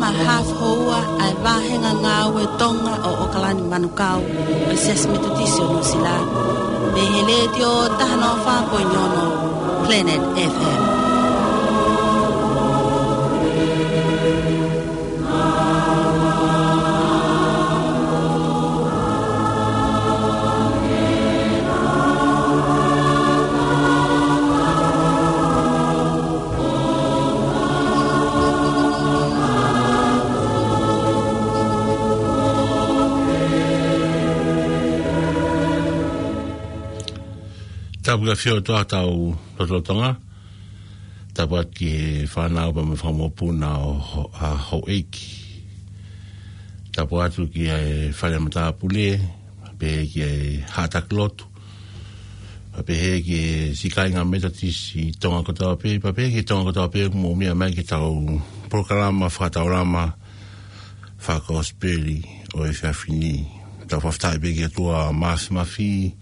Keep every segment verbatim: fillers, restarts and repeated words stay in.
Haʻa houa ʻa e vāhenga ngāue Tonga ʻo ʻOkalani Manukau ʻo e Siasi Metotisi ʻo Nuʻusila, mei he Letiō taha noa fā poini ono Planet F M. Tapu ki he ʻAfio ʻOtua ʻi hotau lotolotonga. Tapu atu ki he fānau pea mo e fanga mokopuna ʻo ho-, ʻa houʻeiki. Tapu atu ki he fale matāpule, pehē ki he haʻa taki lotu, pea pehē ki he siʻi kāinga Metotisi Tonga kotoa pē, pea pehē ki he Tonga kotoa pē ʻoku mou meʻa mai ki heʻetau polokalama fakataulama fakakosipeli ʻo e efiafi ni. Tau fakafetaʻi pē ki he ʻOtua Māfimafi,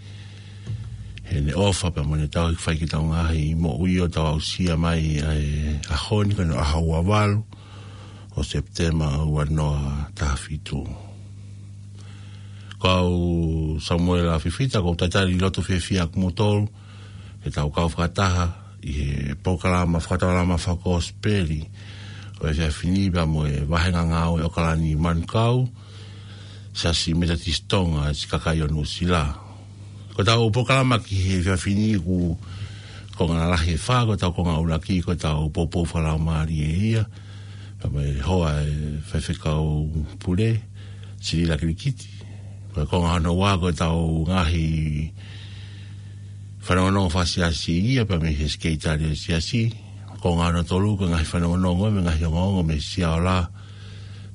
heʻene ʻofa pea mo ʻene tauhi ke fai ki heʻetau ngaahi moʻui ʻo tau aʻusia mai ʻa e ʻaho ni, ko hono ʻaho ua valu ʻo Sepitema ua noa taha fitu. Ko au Samuela Fifita, ʻoku ou talitali loto fiefia ʻa kimoutolu ke tau kau fakataha ʻi he polokalama fakataulama fakakosipeli ʻo e efiafi ni pea mo e vāhenga ngāue ʻOkalani Manukau, Siasi Metotisi Tonga, siʻi kakai ʻo Nuʻusila. Ko ʻetau polokalama ki he efiafi ni ʻoku konga lalahi ʻe fā, ko ʻetau konga ʻuluaki ko ʻetau poupou fakalaumālie ia pea mo e hoa ʻo e faifekau pule, Silila Kilikiti. Ko e konga hono ua ko ʻetau ngaahi fanongonongo fakasiasi ia pea mei he sekelitali ʻo e siasi. Konga hono tolu ko e ngaahi fanongonongo mo e ngaahi ongoongo mei he siaola.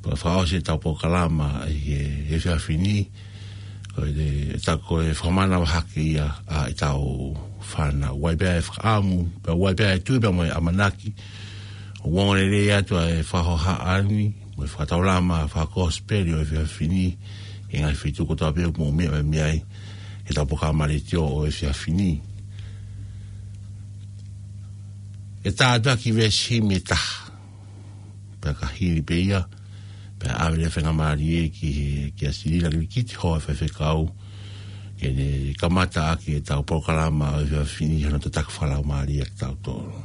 Pea fakaʻosi ʻetau polokalama ʻi he efiafi ni, ko e, ʻetau, ko e fakamanavahē ia ʻa ʻetau fānau. ʻOku ʻi ai pē ʻa e fakaʻamu, pea ʻoku ʻi ai pē ʻa e tui pea mo e ʻamanaki ʻoku ongoongolelei atu ʻa e fakahohaʻa ni mo e fakataulama fakakosipeli ʻo e efiafi ni ʻi he ngaahi feituʻu kotoa pē ʻoku mou meʻa mai ai ki heʻetau polokalama letiō ʻo e efiafi ni. ʻE tā atu ʻa e kiʻi veesi himi ʻe taha, pea ka hili pē ia, pea ʻave leva e faingamālie ki he, kia Silila Kilikiti, hoa ʻo e faifekau, ke ne kamata ʻaki ʻetau polokalama ʻo e efiafi ni hono tataki fakalaumālie kiate kitautolu.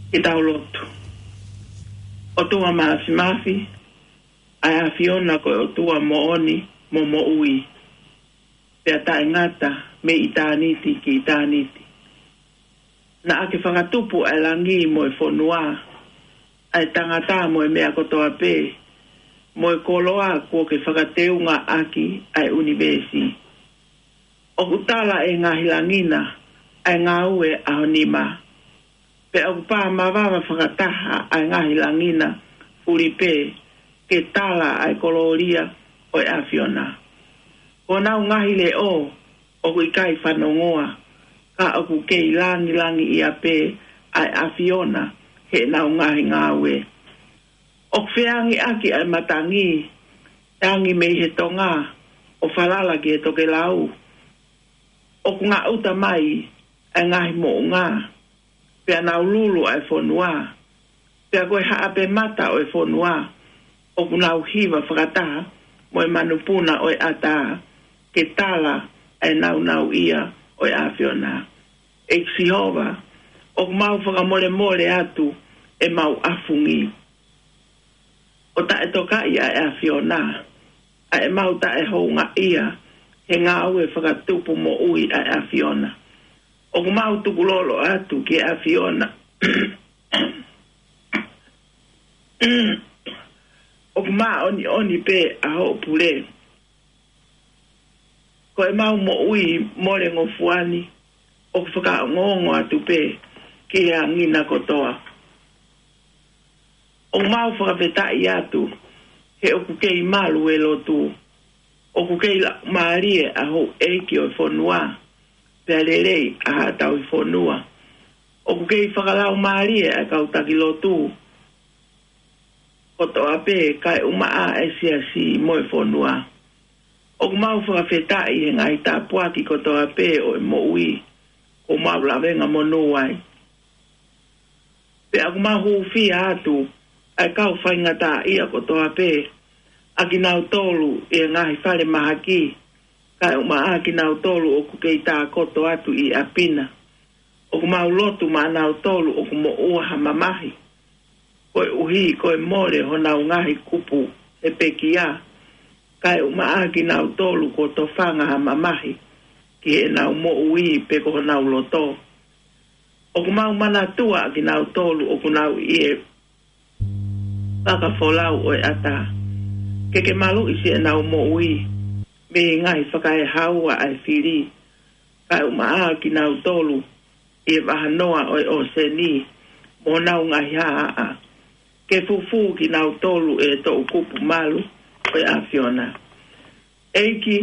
Ke tau lotu. ʻOtua Māfimafi, ʻa e ʻAfiona ko e ʻOtua moʻoni mo moʻui, pea taʻengata mei ʻitāniti ki ʻitāniti. Naʻa ke fakatupu ʻa e langi mo e fonua, ʻa e tangata mo e meʻa kotoa pē, mo e koloa kuo ke fakateunga ʻaki ʻa e ʻunivēsi. ʻOku tala ʻe he ngaahi langi na ʻa e ngāue ʻa ho nima, pea ʻoku pā mavava fakataha ʻa e ngaahi langi na fuli pē ke tala ʻa e kolōlia ʻo e ʻAfiona. Ko honau ngaahi leʻo ʻoku ʻikai fanongoa, ka ʻoku kei langilangiʻia pē ʻa e ʻAfiona heʻenau ngaahi ngāue. ʻOku feangiʻaki ʻa e matangi, tangi mei he tonga, ʻo falala ki he tokelau. ʻOku ngaʻuta mai ʻa e ngaahi moʻunga, pea nau lulu ʻa e fonua. Pea ko e haʻape mata ʻo e fonua ʻoku nau hiva fakataha mo e manupuna ʻo e ʻatā, ke tala ʻa e nāunauʻia ʻo e ʻAfiona. ʻEiki Sihova, ʻoku mau fakamolemole atu ʻemau ʻafungi. ʻo taʻetokaʻi ʻa e ʻAfiona, ʻa ʻemau taʻehoungaʻia he ngāue fakatupu moʻui ʻa e ʻAfiona. ʻOku mau tukulolo atu ki he ʻAfiona. ʻOku māʻoniʻoni pē ʻa hoʻo pule. Ko ʻemau moʻui mole ngofua ni, ʻoku fakaongoongo atu pē ki he angi na kotoa. ʻOku mau fakafetaʻi atu, he ʻoku kei malu e lotu. ʻOku kei laumālie ʻa houʻeiki ʻo e fonua, pea lelei ʻa haʻa tauhi fonua. ʻOku kei fakalaumālie ʻa e kau taki lotu kotoa pē, kae ʻumaʻā e siasi mo e fonua. ʻOku mau fakafetaʻi he ngaahi tāpuaki kotoa pē ʻo e moʻui, ʻoku mau lavengamonū ai. Pea ʻoku mau hūfia atu ʻa e kau faingataʻaʻia kotoa pē, ʻa kinautolu ʻi he ngaahi fale mahaki, kae ʻumaʻā kinautolu ʻoku kei tākoto atu ʻi ʻapi na. ʻOku mau lotu maʻanautolu ʻoku moʻua ha mamahi, koeʻuhi ko e mole honau ngaahi kupu he pekia, kae ʻumaʻā kinautolu kuo tofanga ha mamahi ki heʻenau moʻui pe ko honau loto. ʻOku mau manatua ʻa kinautolu ʻoku nau ʻi he fakafolau ʻo e ʻata, ke ke maluʻi siʻenau moʻui mei he ngaahi fakaehaua ʻa e fili, kae ʻumaʻā kinautolu ʻi he vahanoa ʻo e ʻōseni mo honau ngaahi haʻahaʻa. Ke fufū kinautolu ʻe he toʻukupu malu ʻo e ʻAfiona. ʻEiki,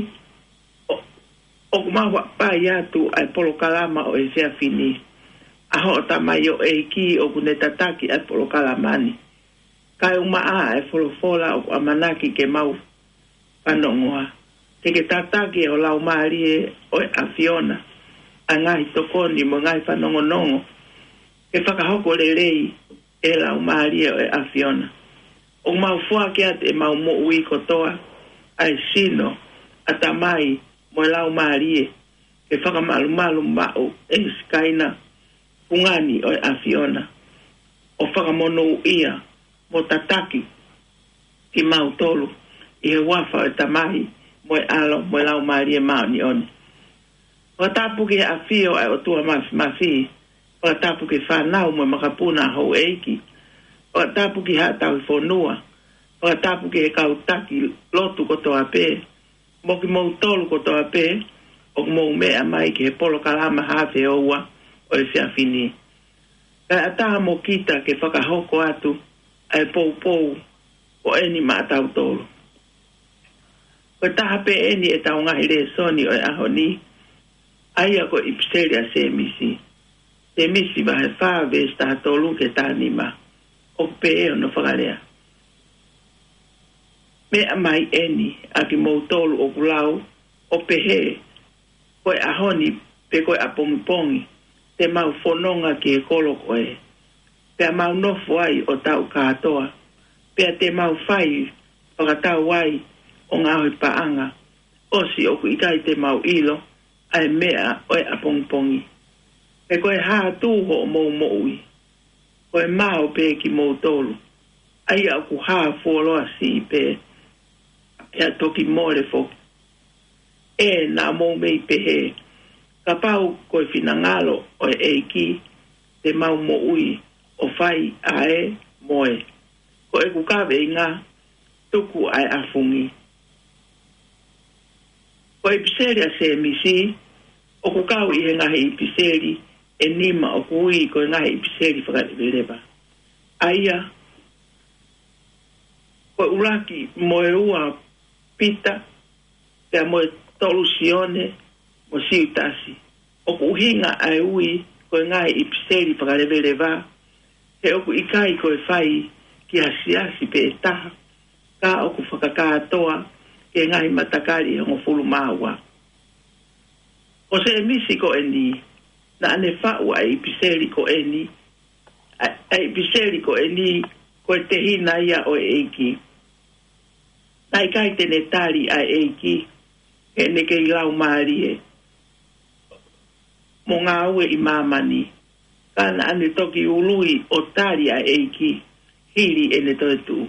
ʻo-, ʻoku mau hapai atu ʻa e polokalama ʻo e efiafi ni. ʻA hoʻo tamaioʻeiki ʻoku ne tataki ʻa e polokalama ni, kae ʻumaʻā ʻa e folofola ʻoku ʻamanaki ke mau fanongoa. Ke ke tataki ʻe ho Laumālie ʻo e ʻAfiona ʻa e ngaahi tokoni mo e ngaahi fanongonongo, ke fakahoko lelei ʻe he Laumālie ʻo e ʻAfiona. ʻOku mau foaki atu ʻemau moʻui kotoa, ʻa e sino, ʻatamai mo e laumālie, ke fakamalumalu maʻu ʻe he Sikaina fungani ʻo e ʻAfiona, ʻo fakamonūʻia mo tataki kimautolu ʻi he huafa ʻo e Tamai mo e ʻAlo mo e Laumālie Māʻoniʻoni. Fakatapu ki he ʻafio ʻa e ʻOtua Mafimafi. Fakatapu ki he fānau mo e makapuna ʻa houʻeiki. Fakatapu ki haʻa tauhi fonua. Fakatapu ki he kau taki lotu kotoa pē, mo kimoutolu kotoa pē ʻoku mou meʻa mai ki he polokalama Haʻa Feoua ʻo e efiafi ni. Kae ʻatā mo kita ke fakahoko atu ʻa e poupou ko eni maʻatautolu. Ko e taha pē eni ʻetau ngaahi lēsoni ʻo e ʻaho ni, ʻa ia ko e ʻipiseli ʻa Sēmisi. Sēmisi vahe fā veesi taha tolu ki he taha nima. ʻOku pehē hono fakalea: Meʻa mai eni ʻa kimoutolu ʻoku lau, ʻo pehē, ko e ʻaho ni pe ko e ʻapongipongi te mau fononga ki he kolo ko ē, pea mau nofo ai ʻo taʻu kātoa, pea te mau fai fakatau ai ʻo ngaohi paʻanga, ʻosi ʻoku ʻikai te mau ʻilo ʻa e meʻa ʻo e ʻapongipongi. He ko e hā tū hoʻomou moʻui? Ko e mao pē kimoutolu, ʻa ia ʻoku hā fuoloa siʻi pē, pea toki mole foki. ʻE, naʻa mou mei pehē, kapau ko e finangalo ʻo e ʻEiki, te mau moʻui ʻo fai ʻa e moe. Ko ʻeku kaveinga, tuku ʻa e ʻafungi. Ko e ʻipiseli ʻa Sēmisi ʻoku kau ʻi he ngaahi ʻipiseli ʻe nima ʻoku ui ko e ngaahi ʻipiseli fakaleveleva. ʻA ia, ko e ʻuluaki mo e ua Pita, pea mo e tolu Sione mo Siutasi. ʻOku ʻuhinga ʻa e ui ko e ngaahi ʻipiseli fakaleveleva, he ʻoku ʻikai ko e fai ki ha siasi pē ʻe taha, ka ʻoku fakakātoa ki he ngaahi matakali ʻe hongofulu mā ua. Ko Sēmisi ko eni, naʻa ne faʻu ʻa e ʻipiseli ko eni, ʻa, ʻa e ʻipiseli ko eni, ko e tehina ia ʻo e ʻEiki. Naʻe ʻikai te ne tali ʻa e ʻEiki, he ʻene kei laumālie mo ngāue ʻi māmani, ka naʻa ne toki ului ʻo tali ʻa e ʻEiki hili ʻene toetuʻu.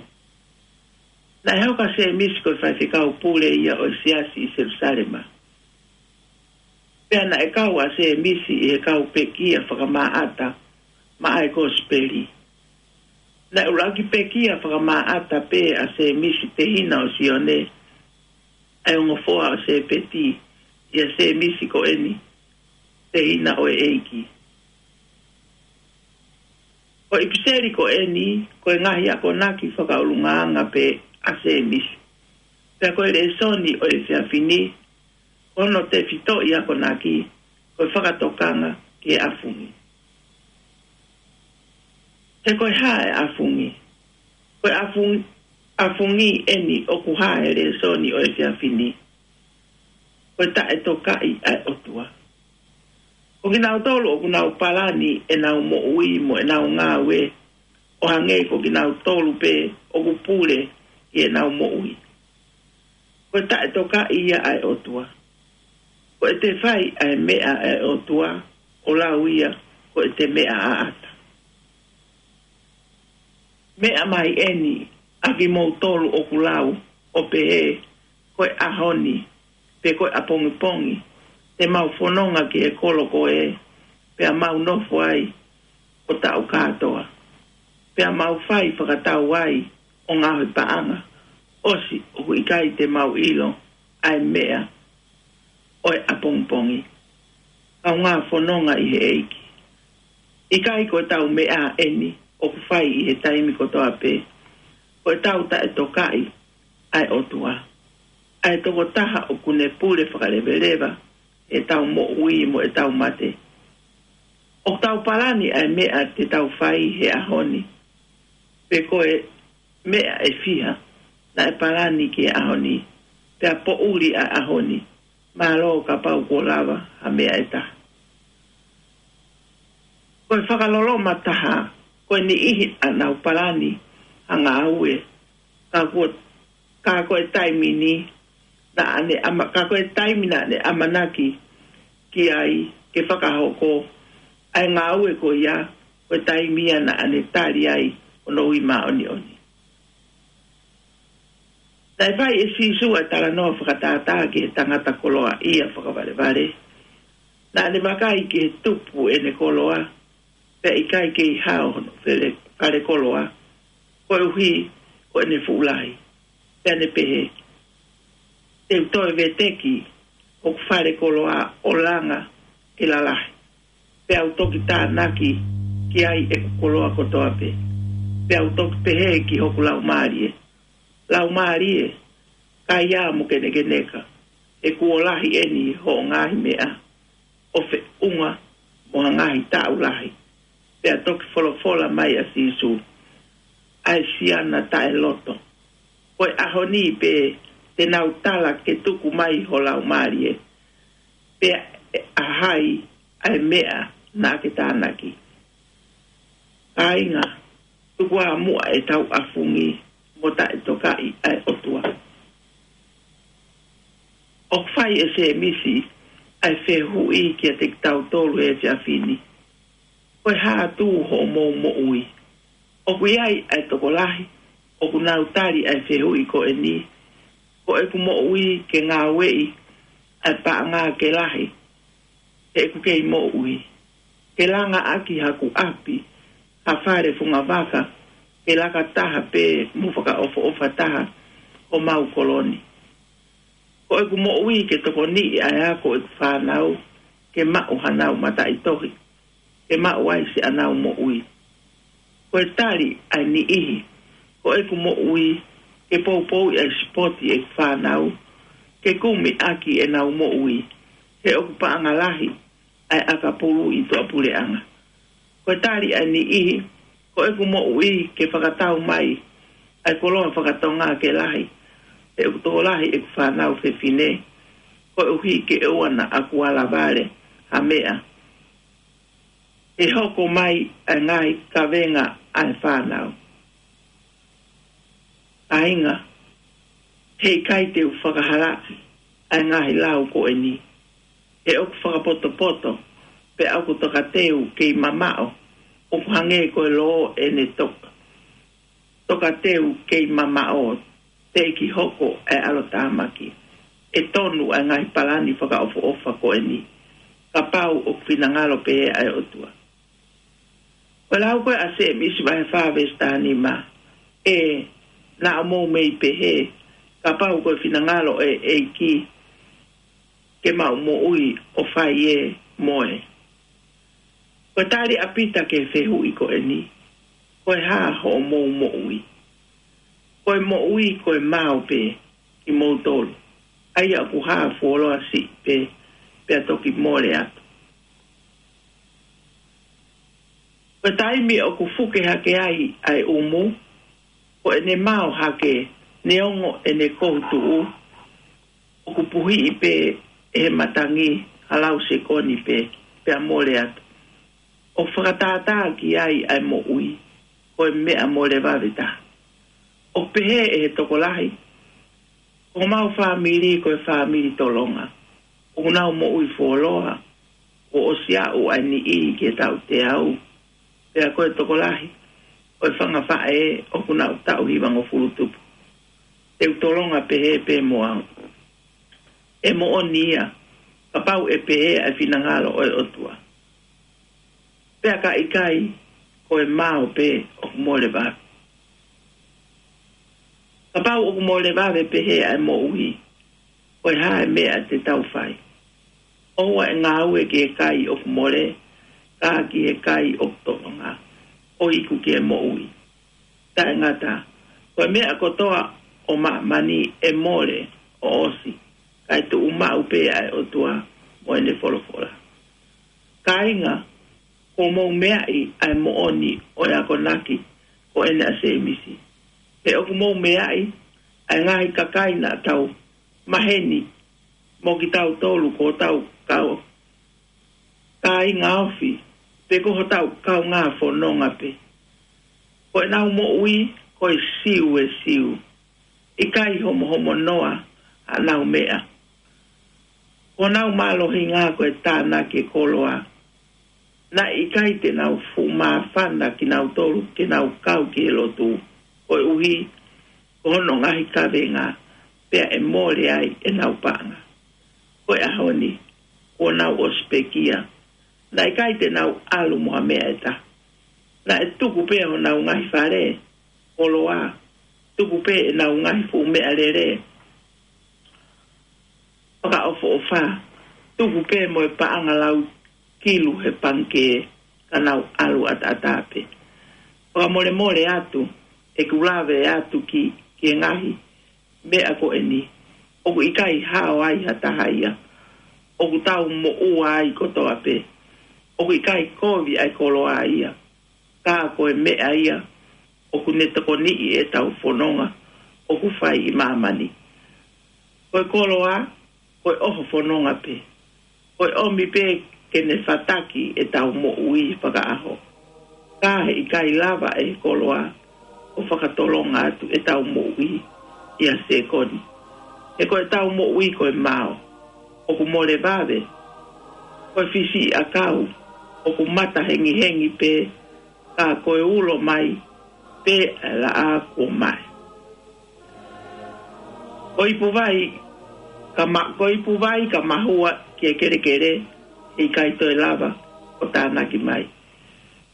Naʻe hoko ʻa Sēmisi ko e faifekau pule ia ʻo e siasi ʻi Selusalema. Pea naʻe kau ʻa Sēmisi ʻi he kau pekia fakamaʻata maʻa e kosipeli. Naʻe ʻuluaki pekia fakamaʻata pē ʻa Sēmisi tehina ʻo Sione, ʻa e ongo foha ʻo Sepeti, ʻia Sēmisi ko eni, tehina ʻo e ʻEiki. Ko e ʻipiseli ko eni, ko e ngaahi akonaki fakaʻulungaanga pē ʻa Sēmisi. Pea ko e lēsoni ʻo e efiafi ni, ko hono tefitoʻi akonaki, ko e fakatokanga ki he ʻafungi. He ko e hā e ʻafungi? Ko e ʻafungi, ʻafungi eni ʻoku hā he lēsoni ʻo e efiafi ni. Ko e taʻetokaʻi ʻa e ʻOtua. Ko kinautolu ʻoku nau palani ʻenau moʻui mo ʻenau ngāue, ʻo hangē ko kinautolu pē ʻoku pule ʻi heʻenau moʻui. Ko e taʻetokaʻi ia ʻa e ʻOtua. Ko ʻete fai ʻa e meʻa ʻa e ʻOtua, ʻo lau ia ko ʻete meʻa ʻaʻata. Meʻa mai eni ʻa kimoutolu ʻoku lau, ʻo pehē, ko e ʻaho ni, pe ko e ʻapongipongi, te mau fononga ki he kolo ko ē, pea mau nofo ai ʻo taʻu kātoa. Pea mau fai fakatau ai ʻo ngaohi paʻanga, ʻosi ʻoku ʻikai te mau ʻilo ʻa e meʻa ʻo e ʻapongipongi. Kaungā fononga ʻi he ʻEiki. ʻIkai ko ʻetau meʻa eni ʻoku fai ʻi he taimi kotoa pē. Ko ʻetau taʻetokaʻi ʻa e ʻOtua. ʻA e tokotaha ʻoku ne pule fakaleveleva ʻetau moʻui mo ʻetau mate. ʻOku tau palani ʻa e meʻa te tau fai he ʻaho ni. Pe ko e meʻa ʻe fiha naʻe palani ki he ʻaho ni. Pea poʻuli ʻa e ʻaho ni. Mālō kapau kuo lava ha meʻa ʻe taha. Ko e fakaloloma taha, ko e niʻihi ʻa ʻenau palani ha ngāue, ka kuo, ka ko e taimi ni, naʻa ne ʻama-, ka ko e taimi naʻa ne ʻamanaki ki ai ke fakahoko ʻa e ngāue ko ia, ko e taimi ia naʻa ne tali ai hono ui māʻoniʻoni. Naʻe fai ʻe Sīsū ʻa e talanoa fakatātā ki he tangata koloaʻia fakavalevale. Naʻa ne vakai ki he tupu ʻene koloa, pea ʻikai kei hao hono fale, fale koloa, koeʻuhi ko ʻene fuʻu lahi. Pea ne pehē, te u toe veteki hoku fale koloa ʻo langa ke lalahi. Pea u toki tānaki ki ai ʻeku koloa kotoa pē. Pea u toki pehē ki hoku laumālie, laumālie, kaiā mo kenekeneka, he kuo lahi eni hoʻo ngaahi meʻa ʻo feʻunga mo ha ngaahi taʻu lahi. Pea toki folofola mai ʻa Sīsū, ʻa e siana taʻeloto. Ko e ʻaho ni pē te nau tala ke tuku mai ho laumālie. Pea ʻe ʻa hai ʻa e meʻa naʻa ke tānaki. Kāinga, tuku ā muʻa ʻetau ʻafungi mo taʻetokaʻi ʻa e ʻOtua. ʻOku fai ʻe Sēmisi ʻa e fehuʻi kiate kitautolu he efiafi ni. Ko e hā atu hoʻomou moʻui? ʻOku ʻi ai ʻa e tokolahi ʻoku nau tali ʻa e fehuʻi ko eni, ko ʻeku moʻui ke ngāueʻi ʻa e paʻanga ke lahi, he ʻeku kei moʻui. Ke langa ʻaki haku ʻapi, ha fale fungavaka, ke laka taha pē mo fakaʻofoʻofa taha homau kolo ni. Ko ʻeku moʻui ke tokoniʻi ʻa e ako ʻeku fānau, ke maʻu hanau mataʻitohi, ke maʻu ai siʻanau moʻui. Ko e tali ʻa e niʻihi, ko ʻeku moʻui ke poupouʻi ʻa e sipoti ʻeku fānau, ke kumi ʻaki ʻenau moʻui, he ʻoku paʻanga lahi ʻa e ʻakapulu ʻi tuʻapuleʻanga. Ko e tali ʻa e niʻihi, ko ʻeku moʻui ke fakatau mai ʻa e koloa fakatonga ke lahi, he ʻoku tokolahi ʻeku fānau fefine, koeʻuhi ke ʻoua naʻa ku ala vale ha meʻa, he hoko mai ʻa e ngaahi kavenga ʻa e fānau. Kāinga, heʻikai te u fakahalaʻi ʻa e ngaahi lau ko eni, he ʻoku fakapotopoto, pea ʻoku tokateu kei mamaʻo, ʻoku hangē ko e lō ʻene toka, tokateu kei mamaʻo, teʻeki hoko ʻa e ʻalotāmaki. ʻE tonu ʻa e ngaahi palani fakaʻofoʻofa ko eni, kapau ʻoku finangalo pē ʻa e ʻOtua. Ko e lau ko ē ʻa Sēmisi vahe fā veesi taha nima, ʻe, naʻa mou mei pehē, kapau ko e finangalo ʻo e ʻEiki, ke mau moʻui ʻo fai ʻe moe. Ko e tali ʻa Pita ki he fehuʻi ko eni, ko e hā hoʻomou moʻui? Ko e moʻui ko e mao pē kimoutolu, ʻa ia ʻoku hā fuoloa siʻi pē, pea toki mole atu. Ko e taimi ʻoku fuke hake ai ʻa e ʻumu, ko ʻene mao hake, neongo ʻene kohu tuʻu, ʻoku puhiʻi pē ʻe he matangi ha lau sekoni pē, pea mole atu. ʻOku fakatātā ki ai ʻa e moʻui, ko e meʻa mole vave taha. ʻOku pehē ʻe he tokolahi, ko homau fāmili ko e fāmili tolonga. ʻOku nau moʻui fuoloa, kuo ʻosi aʻu ʻa e niʻihi ki he taʻu teau. Pea ko e tokolahi ʻo e fanga faʻē ʻoku nau taʻu hivangofulu tupu. Te u tolonga pehē pē mo au. ʻE moʻoni ia, kapau ʻe pehē ʻa e finangalo ʻo e ʻOtua. Pea ka ʻikai, ko e mao pē ʻoku mole vave. Kapau ʻoku mole vave pehē ʻa e moʻui, ko e hā e meʻa te tau fai? ʻOua ʻe ngāue ki he kai ʻoku mole, ka ki he kai ʻoku tolonga, ʻo iku ki he moʻui. Taʻengata, ko e meʻa kotoa ʻo māmani ʻe mole ʻo ʻosi, kae tuʻu maʻu pē ʻa e ʻOtua mo ʻene folofola. Kāinga, kuo mou meaʻi ʻa e moʻoni ʻo e akonaki ko eni ʻa Sēmisi. He ʻoku mou meaʻi ʻa e ngaahi kakai naʻa tau maheni mo kitautolu, ko hotau kau kāinga ofi, pe ko hotau kaungā fononga pē. Ko ʻenau moʻui ko e siu ʻe siu, ʻikai homohomo noa haʻanau meʻa. Ko honau mālohinga ko e tānaki e koloa. Naʻe ʻikai te nau fuʻu māfana kinautolu ke nau kau ki he lotu, koeʻuhi ko hono ngaahi kavenga, pea ʻe mole ai ʻenau paʻanga. Ko e ʻaho ni, kuo nau ʻosi pekia. Naʻe ʻikai te nau ʻalu mo ha meʻa ʻe taha. Naʻe tuku pē honau ngaahi fale, koloa, tuku pē ʻenau ngaahi fuʻu meʻalele fakaʻofoʻofa, tuku pē mo e paʻanga lau kilu he pangikē, ka nau ʻalu ʻataʻatā pē. Fakamolemole atu, ʻeku lave atu ki, ki he ngaahi meʻa ko eni. ʻOku ʻikai hao ai ha taha ia. ʻOku tau moʻua ai kotoa pē. ʻOku ʻikai kovi ʻa e koloa ia. Ka ko e meʻa ia ʻoku ne tokoniʻi ʻetau fononga ʻoku fai ʻi māmani. Ko e koloa, ko e ʻoho fononga pē. Ko e ʻomi pē ke ne fataki ʻetau moʻui fakaʻaho. Ka heʻikai lava ʻe he koloa ʻo fakatolonga atu ʻetau moʻui ʻi ha sekoni. He ko ʻetau moʻui ko e mao, ʻoku mole vave. Ko e fisiʻiʻakau, ʻoku mata hengihengi pē, ka ko e ulo mai pē ʻa e laʻā kuo mae. Ko ipu vai ka ma-, ko ipu vai ka mahua ki he kelekele, heʻikai toe lava ʻo tānaki mai.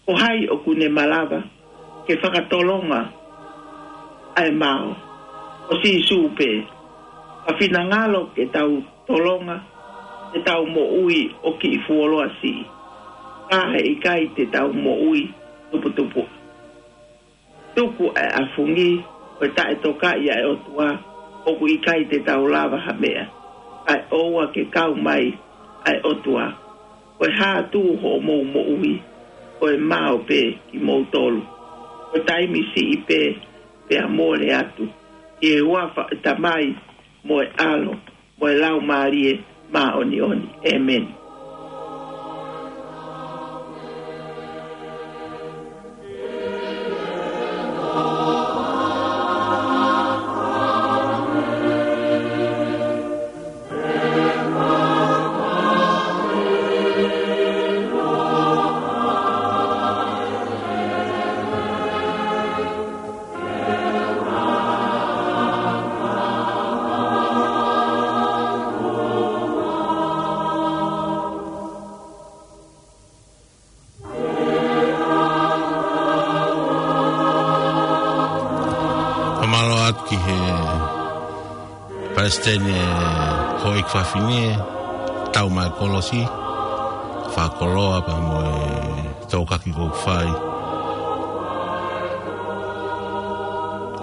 Ko hai ʻoku ne malava ke fakatolonga ʻa e mao? Ko Sīsū pē. Ka finangalo ke tau tolonga, te tau moʻui ʻo kiʻi fuoloa siʻi. Ka heʻikai te tau moʻui tuputupu. Tuku ʻa e ʻafungi, ko e taʻetokaʻi ʻa e ʻOtua, ʻoku ʻikai te tau lava ha meʻa, kae ʻoua ke kau mai ʻa e ʻOtua. Ko e hā atu hoʻomou moʻui, ko e mao pē kimoutolu. Ko e taimi siʻi pē, pea mole atu. ʻI he huafa ʻo e Tamai, mo e ʻAlo, mo e Laumālie Māʻoniʻoni. ʻĒmeni. Palesiteni e houʻeiki fafine, tau mai kolosi, fakakoloa pea mo e tokaki ʻoku fai.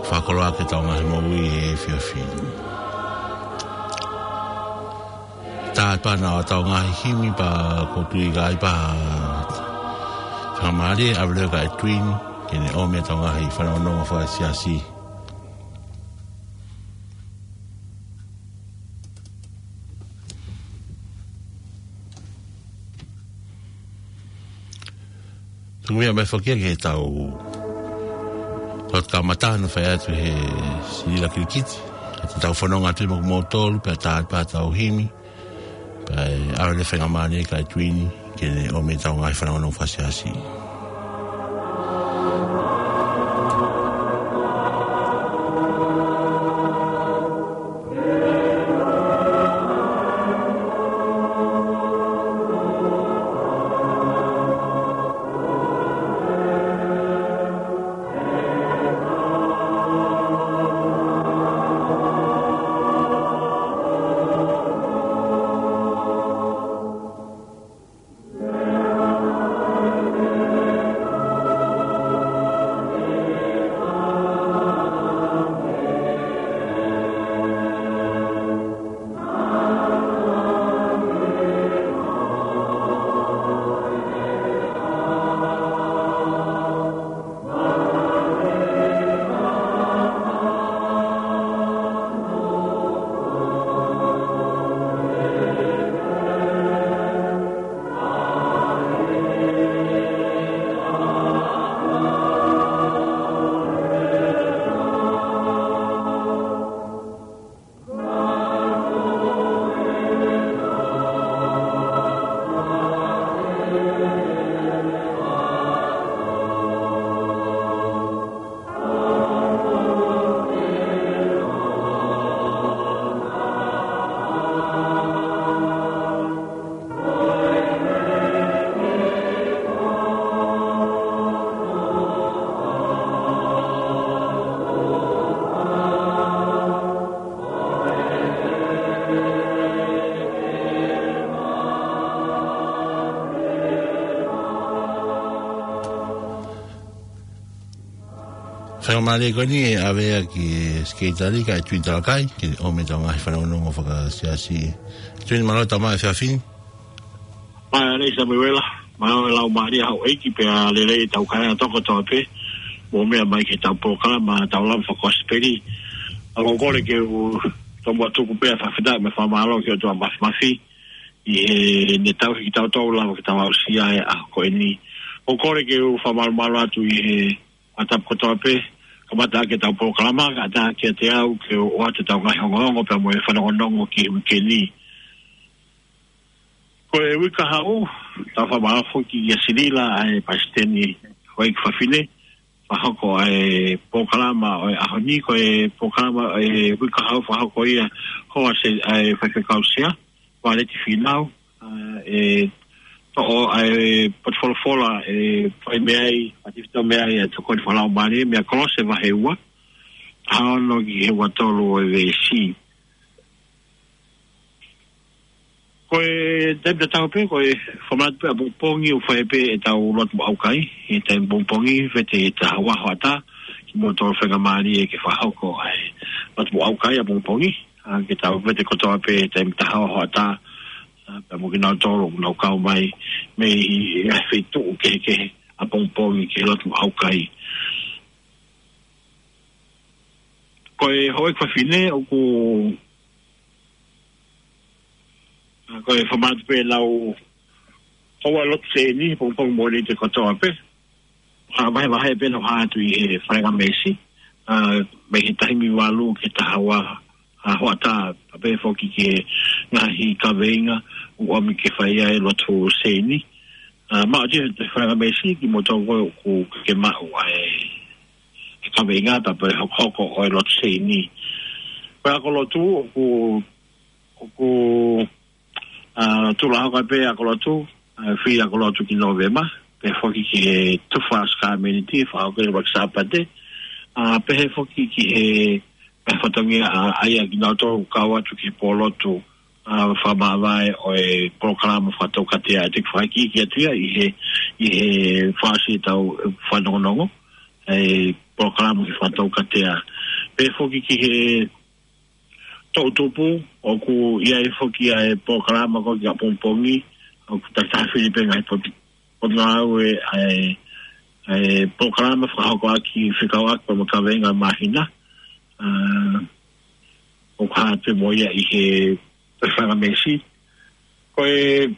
Fakakoloa ki heʻetau ngaahi moʻui he efiafi ni. Tātā pea ʻetau ngaahi himi pea ʻoku ou tui ʻe ʻi ai pē ha faingamālie, ʻave leva kia Edwin, ke ne ʻomi ʻetau ngaahi fanongonongo fakasiasi. Tuku meʻa mai foki ki heʻetau lotu kamata naʻe fai atu he Silila Kilikiti. Ka te tau fononga atu mo kimoutolu, pea tātā pea ʻetau himi. Pea ʻe ʻave leva e faingamālie kia Edwin, ke ne ʻomi ʻetau ngaahi fanongonongo fakasiasi. Faingamālie ko eni ʻe ʻave ia ki he Sekelitali, kia Edwin Talakai, ke ʻomi ʻetau ngaahi fanongonongo fakasiasi. Edwin, mālō e tau mai he efiafi ni. Mālō e Samuela, mālō e laumālie ʻa houʻeiki pea lelei ʻetau kāinga kotoa pē, mou meʻa mai ki heʻetau polokalama, tau lava fakakosipeli. ʻOku ou kole ke u tomuʻa tuku pē ʻa e fakafetaʻi mo e fakamālō ki he ʻOtua Māfimafi, ʻi heʻene tauhi kitautolu lava ke tau aʻusia e ʻaho ko eni. ʻOku ou kole ke u fakamalumalu atu ʻi he fakatapu kotoa pē, kamata ʻaki ʻetau polokalama, kae ʻatā kiate au ke u ʻoatu ʻetau ngaahi ongoongo pea mo e fanongonongo ki he uike ni. Ko e uike kahaʻu, tau fakamālō foki kia Silila, ʻa e palesiteni houʻeiki fafine, fakahoko ʻa e polokalama ʻo e ʻaho ni. Ko e polokalama ʻo e uike kahaʻu fakahoko ia, hoa se, ʻa e faifekau sea, Valeti Fīnau, ʻa, ʻe toʻo ʻa e potu folofola ʻe fai mei ai, ʻa e tefito mei ai ʻa e tokoni fakalaumālie mei he Kolose vahe ua, taha ono ki he ua tolu ʻo e veesi. Ko e taimi tatau pē, ko e fakamanatu pē ʻapongipongi ʻoku fai pē ʻetau lotu mo ʻaukai, he taimi ʻapongipongi, vete ʻi he taha ua hoʻatā, kimoutolu faingamālie ke fakahoko ʻa e lotu mo ʻaukai ʻapongipongi, ʻa, ke tau vete kotoa pē taimi taha ua hoʻatā, ʻa, pea mo kinautolu ʻoku nau kau mai mei he feituʻu kehekehe ʻapongipongi ki he lotu mo ʻaukai. Ko e houʻeiki fafine ʻoku, ʻa, ko e fakamanatu pē lau houa lotu sēni, pongipongi Mōnite kotoa pē. Ka vahevahe pē ʻo hā atu ʻi he falengamesi, ʻa, mei he taha hiva valu ki he taha ua, ʻa, hoʻatā, pea pehē foki ki he ngaahi kaveinga ʻoku ʻomi ke fai ai e lotu sēni. ʻA, maʻu ʻi he falengamesi kimoutolu ʻoku ke maʻu ai e kaveinga pea pehē hokohoko ʻo e lotu sēni. Ko e ako lotu ʻoku, ʻoku ʻA, tuʻu lā hoko pē ako lotu, ʻa, fili ako lotu ki Nōvema, pehē foki ki he tufa ʻa e sākalamēniti, fakahoko ʻi he ʻuluaki Sāpate, ʻa, pehē foki ki he ngaahi fatongia ʻa, ʻa ia kinautolu kau atu ki he pōlotu, ʻa, fakamāvae ʻo e polokalama fakatoukatea. Te u fakaikiiki atu ia ʻi he, ʻi he fasi ʻetau fanongonongo, ʻa e polokalama ki he fakatoukatea. Pea foki ki he toʻutupu, ʻoku ʻi ai foki ʻa e polokalama ko ē ki ʻapongipongi, ʻoku takitaha fili pē ngaahi poti-, potungāue ʻa e, ʻa e polokalama fakahokoʻaki fekauʻaki mo e kaveinga māhina. ʻA, ʻoku hā atu mo ia ʻi he fanga meesi. Ko e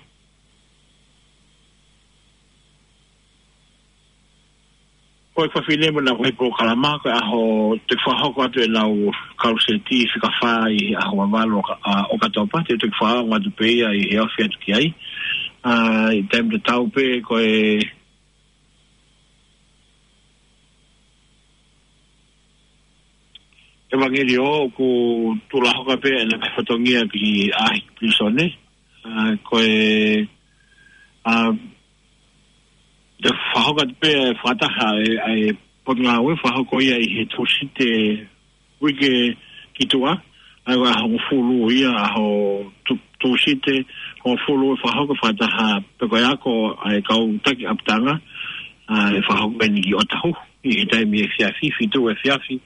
Ko e fafine mo ʻenau ngaahi polokalama, ko e ʻaho te fakahoko atu ʻenau kaluseti fika fā ʻi he ʻaho valu ʻo ka-, ʻa, ʻOkatopa, te u toki fakaongo atu pē ia ʻi he ofi atu ki ai. ʻA, ʻi he taimi tatau pē ko e ʻevangeliō ʻoku tuʻuloa hoko pē ʻena ngaahi fatongia ki ʻaʻahi pilīsone. ʻA, ko e, ʻa, te u fakahoko atu pē fakataha ʻa e, ʻa e potungāue fakahoko ia ʻi he Tūsite uike ki tuʻa, ʻa ia ko e ʻaho hongofulu ia, ʻaho Tū-, Tūsite hongofulu ʻe fakahoko fakataha pē ko e ako ʻa e kau taki ʻapitanga, ʻa, ʻe fakahoko eni ki ʻŌtahuhu, ʻi he taimi efiafi, fitu efiafi.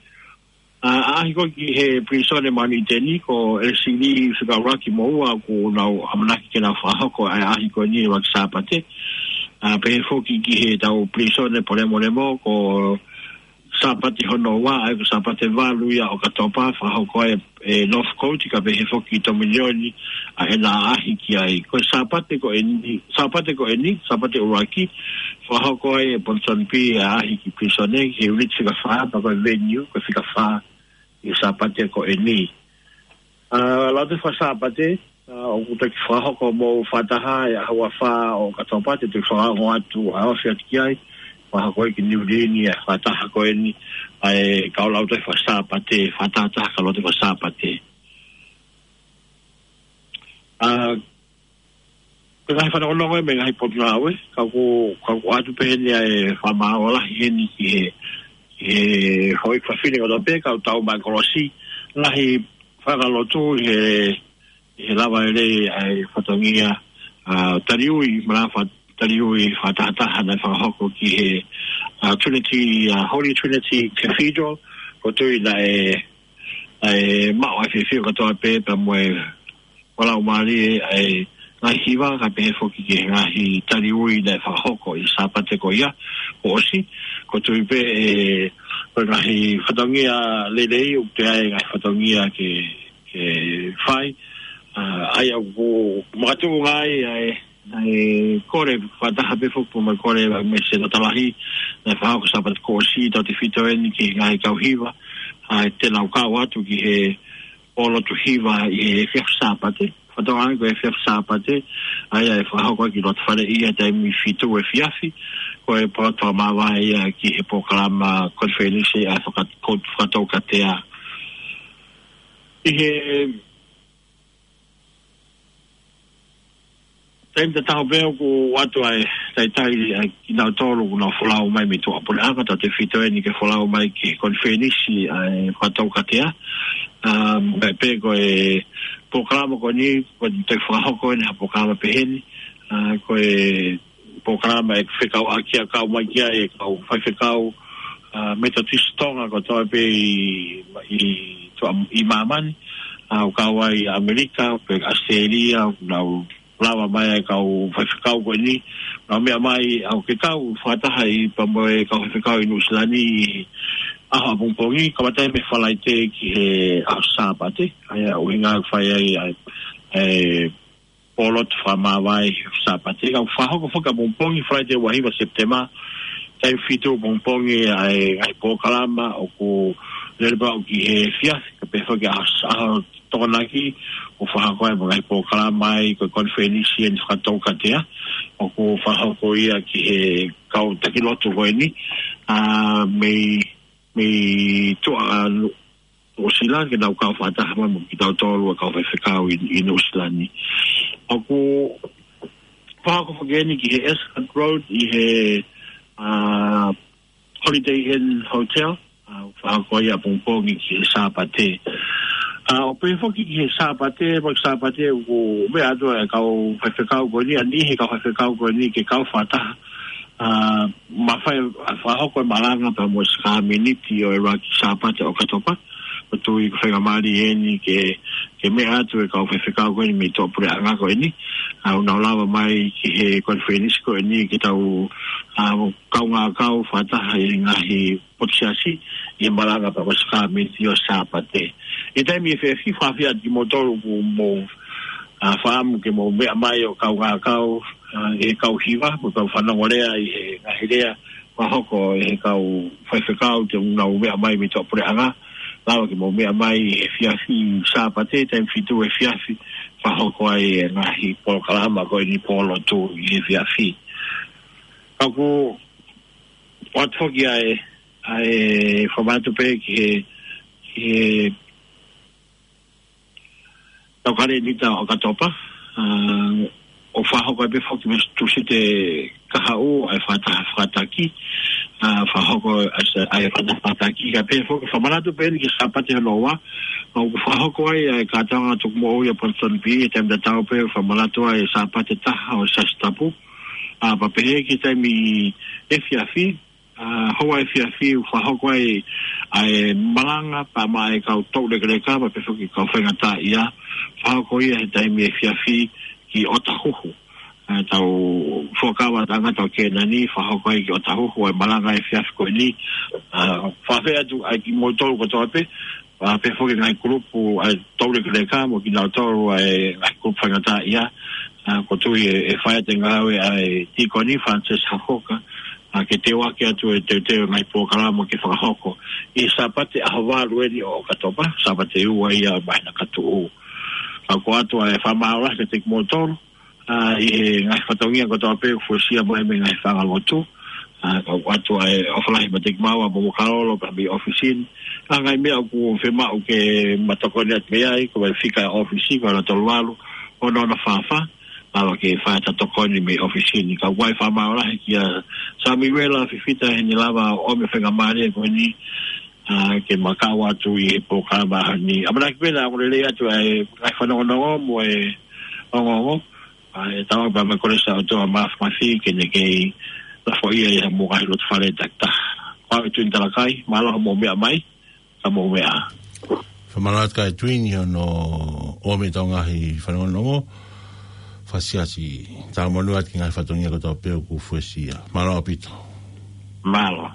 ʻA, ʻaʻahi ko ē ki he pilīsone māʻoniʻoni ʻi ʻĪteni, ko ʻElesili Fikaʻuluaki mo ua ʻoku nau ʻamanaki ke nau fakahoko ʻa e ʻaʻahi ko eni ʻi he ʻaho Sāpate. ʻA, pehē foki ki heʻetau pilīsone Polemolemo, ko Sāpate hono ua, ʻa ia ko Sāpate valu ia ʻo ʻOkatopa, fakahoko ai ʻe Northcote, kae pehē foki Tominioni, ʻa ʻena ʻaʻahi ki ai. Ko e Sāpate ko eni, Sāpate ko eni, Sāpate ʻuluaki, fakahoko ai ʻe Ponsonby ʻa e ʻaʻahi ki pilīsone, ki he ʻiuniti fika fā, pea ko e venue, ko e fika fā ʻi he Sāpate ko eni. ʻA, Lautohi Faka-Sāpate, ʻa, ʻoku toki fakahoko mo fakataha ʻi he ʻaho ua fā ʻo ʻOkatopa, te u toki fakaongo atu ʻa e ofi atu ki ai, fakahoko ia ki Niu Lini ʻa e fakataha ko eni, ʻa e kau Lautohi Faka-Sāpate, fakatahataha kau Lautohi Faka-Sāpate. ʻA, ko e ngaahi fanongonongo ia mei he ngaahi potungāue, ka ʻoku, ka ʻoku ʻoatu pē heni ʻa e fakamālō lahi heni ki he, ki he houʻeiki fafine kotoa pē, kau tau mai kolosi, ngaahi fanga lotu ʻi he, ʻi he lava lelei ʻa e fatongia, ʻa, taliui, manava taliui fakatahataha naʻe fakahoko ki he, ʻa, Trinity, ʻa, Holy Trinity Cathedral, ʻoku ou tui naʻe, ʻa e maʻu ʻa e fiefia kotoa pē, pea mo e ʻo laumālie ʻa e ngaahi hiva, kae pehē foki ki he ngaahi taliui naʻe fakahoko ʻi he Sāpate ko ia kuo ʻosi, ʻoku ou tui pē ʻe, ko e ngaahi fatongia lelei ʻoku toe ʻi ai e ngaahi fatongia ke, ke fai, ʻa, ʻa ia ʻoku makatuʻunga ai ʻa e, ʻa e kole fakataha pē foki mo e kole ʻa e Mese Tatalahi, naʻe fakahoko Sāpate kuo ʻosi, tautefito eni ki he ngaahi kau hiva, ʻa, te nau kau atu ki he pōlotu hiva ʻi he efiafi Sāpate. Fakatauange ko e efiafi Sāpate, ʻa ia ʻe fakahoko ki loto fale ʻi he taimi fitu efiafi, ko e pōlotu fakamāvae ia ki he polokalama konifelenisi ʻa e faka-, ko-, fakatoukatea. ʻI he taimi tatau pē ʻoku ʻoatu ʻa e talitali ʻa kinautolu ʻoku nau folau mai mei tuʻapuleʻanga, tautefito eni ke folau mai ki he konifelenisi ʻa e fakatoukatea. ʻA, mai pē ko e polokalama ko eni, ko e toe fakahoko eni ha polokalama pehē ni, ʻa, ko e polokalama ʻe fekauʻaki ʻa e kau mai ki ai e kau faifekau, ʻa, Metotisi Tonga kotoa pē ʻi, ʻi tuʻa, ʻi māmani, ʻa, ʻoku kau ai ʻAmelika, pea ʻAositelēlia, ʻoku nau lava mai ai e kau faifekau ko eni, nau meʻa mai ʻo ke kau fakataha ʻi pea mo e kau faifekau ʻi Nuʻusila ni ʻi he ʻaho ʻapongipongi, kamata mei he Falaite ki he ʻaho Sāpate, ʻa ia ʻuhinga ʻoku fai ai ʻa e, ʻa e pōlotu fakamāvae Sāpate, ka ʻoku fakahoko foki ʻapongipongi Falaite ua hiva Sepitema, taimi fitu ʻapongipongi ʻa e ngaahi polokalama ʻoku lele pē ʻo aʻu ki he efiafi, kae pehē foki ʻaho, ʻaho Tokonaki, ʻoku fakahoko ai mo e ngaahi polokalama ai ko e konifelenisi eni fakatoukatea, ʻoku fakahoko ia ki he kau taki lotu ko eni, ʻa, mei, mei tuʻa, ʻa, Nu-, Nuʻusila, ke nau kau fakataha mai mo kitautolu ʻa e kau faifekau ʻi, ʻi Nuʻusila ni. ʻOku fakahoko foki eni ki he Ascot Road, ʻi he, ʻa, Holiday Inn Hotel, ʻa, ʻa ko ia pongipongi ki he Sāpate. ʻA, ʻo pehē foki ki he Sāpate, mo e Sāpate ʻoku meʻa atu e kau faifekau ko eni, ʻa e niʻihi kau faifekau ko eni ke kau fakataha. ʻA, mafai ʻa e fakahoko e malanga pea mo e sākalamēniti ʻo e ʻuluaki Sāpate ʻo ʻOkatopa. ʻOku ou tui ko e faingamālie eni ke, ke meʻa atu e kau faifekau ko eni mei tuʻapuleʻanga ko eni. ʻA, ʻoku nau lava mai ki he konifelenisi ko eni ke tau, ʻa, kaungā kau fakataha ʻi he ngaahi potu siasi ʻi he malanga pea mo e sākalamēniti ʻo e Sāpate. ʻI he taimi efiafi, fakaafeʻi atu kimoutolu ʻoku mou, ʻa, fakaʻamu ke mou meʻa mai ʻo kaungā kau, ʻa, ʻi he kau hiva, mo e kau fanongo lea ʻi he ngaahi lea fakahoko ʻe he kau faifekau te nau meʻa mai mei tuʻapuleʻanga. Lava ke mou meʻa mai ʻi he efiafi Sāpate, taimi fitu efiafi, fakahoko ai e ngaahi polokalama ko eni, pō lotu ʻi he efiafi. Ka ʻoku ʻoatu foki ʻa e, ʻa e fakamanatu pē ki he, ki he tau kalēnita ʻo ʻOkatopa, ʻa, ʻoku fakahoko ai pē foki mei he Tūsite kahaʻu ʻa e fakataha fakataki, ʻa, fakahoko ʻa e sa-, ʻa e fakataha fakataki, kae pehē foki fakamanatu pē eni ki he Sāpate hono ua, ʻoku fakahoko ai ʻa e kātoanga tukumoʻui ʻa Protestant B, he taimi tatau pē fakamanatu ai e Sāpate taha ʻo e Siasi Tapu, ʻa, pea pehē ki he taimi efiafi, ʻa, houa efiafi ʻoku fakahoko ai ʻa e malanga pea maʻa e kau toulekeleka, pea pehē foki kau faingataʻaʻia, fakahoko ia he taimi efiafi ki ʻOtahuhu. ʻA, tau fuakava tangata ʻo Kēnani, fakahoko ai ki ʻOtahuhu ʻa e malanga efiafi ko eni. ʻA, fakaafeʻi atu ai kimoutolu kotoa pē, ʻa, pehē foki ngaahi kulupu ʻa e toulekeleka mo kinautolu ʻa e ngaahi kulupu faingataʻaʻia. ʻA, ʻoku ou tui ʻe, ʻe fai atu e ngāue ʻa e tīkoni Francis Hafoka, ʻa, ke teuaki atu e teuteu e ngaahi polokalama ke fakahoko ʻi he Sāpate ʻaho valu eni ʻo ʻOkatopa, Sāpate ua ia ʻo e māhina ka tuʻu. ʻA, ʻoku ʻoatu ʻa e fakamālō lahi kiate kimoutolu, ʻa, ʻi he ngaahi fatongia kotoa pē ʻoku fuesia mai mei he ngaahi fanga lotu. ʻA, ʻoku ʻoatu ʻa e ʻofa lahi maʻa kimaua mo Mokalolo pea mei ʻōfisi ni. ʻA, ngaahi meʻa ʻoku fiemaʻu ke ma tokoni atu mei ai, ko e fika e ʻōfisi, ko e noa tolu valu, ono ono fā fā, lava ke fai ʻeta tokoni mei ʻōfisi ni. Ka ʻoku ou fakamālō lahi kia Samiuela Fifita heʻene lava ʻo ʻomi e faingamālie ko eni, ʻa, ke ma kau atu ʻi he polokalama ni. ʻAmanaki pē naʻa ongo lelei atu ʻa e ngaahi fanongonongo mo e ongoongo. ʻA, ʻe tau pea mo e Kolisi ʻa e ʻOtua Māfimafi ke ne kei lafoʻia ʻi ha mo e ngaahi lotu fale takitaha. Ko au ʻEtuini Talakai, mālō hoʻomou meʻa mai, ka mou meʻa ā. Fakamālō atu kia ʻEtuini hono ʻomi ʻetau ngaahi fanongonongo fakasiasi. Tau monū atu ki he ngaahi fatongia kotoa pē ʻoku fuesia. Mālō ʻaupito. Mālō.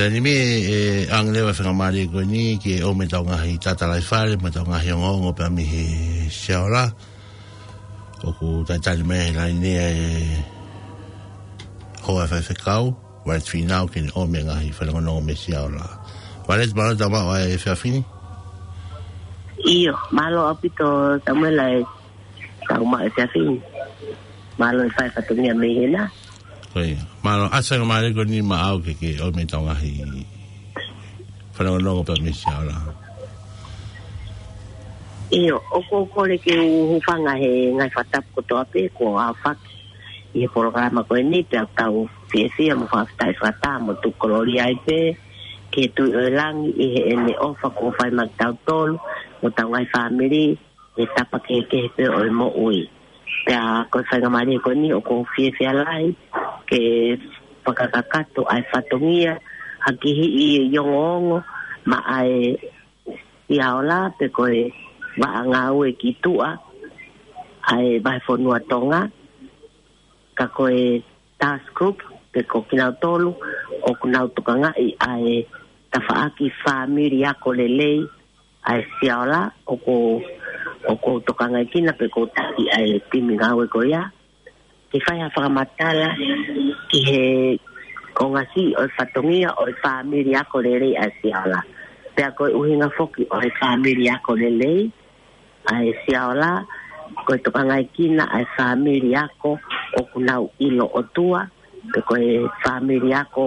Taimi ni ʻe ʻoange leva e faingamālie ko eni ke ʻomai ʻetau ngaahi tatalaifale, mo ʻetau ngaahi ongoongo pea mei he Siaola. ʻOku talitali mai he laine ʻa e hoa faifekau, Violet Fīnau, ke ne ʻomai e ngaahi fanongonongo mei Siaola. Violet, mālō e tau maʻu ʻa e efiafi ni. ʻIo, mālō ʻaupito Samuela e tau maʻu e efiafi ni. Mālō e fai fatongia mei hena. Ko ia. Mālō, ʻoatu e faingamālie ko eni maʻau ke ke ʻomai ʻetau ngaahi fanongonongo pea mei Siaola. ʻIo, ʻoku ou kole ke u hūfanga he ngaahi fakatapu kotoa pē kuo aofaki ʻi he polokalama ko eni, pea ʻoku tau fiefia mo fakafetaʻi fakataha mo tuku kolōlia ai pē ki he Tuʻi ʻo e langi ʻi heʻene ʻofa kuo fai maʻa kitautolu mo ʻetau ngaahi fāmili he tapa kehekehe pē ʻo e moʻui. Pea ko e faingamālie ko eni ʻoku ou fiefia lahi ke fakakakato ʻa e fatongia ha kihiʻi ongoongo maʻa e Siaola pe ko e vaʻa ngāue ki tuʻa ʻa e vahefonua Tonga, ka ko e task group pe ko kinautolu ʻoku nau tokangaʻi ʻa e tafaʻaki fāmili ako lelei ʻa e Siaola ʻoku, ʻoku ou tokangaʻi kina pe ʻoku ou taki ʻa e timi ngāue ko ia ke fai ha fakamatala ki he konga siʻi ʻo e fatongia ʻo e fāmili ako lelei ʻa e Siaola. Pea ko e ʻuhinga foki ʻo e fāmili ako lelei ʻa e Siaola, ko e tokangaʻi kina ʻa e fāmili ako ʻoku nau ʻilo ʻOtua, pe ko e fāmili ako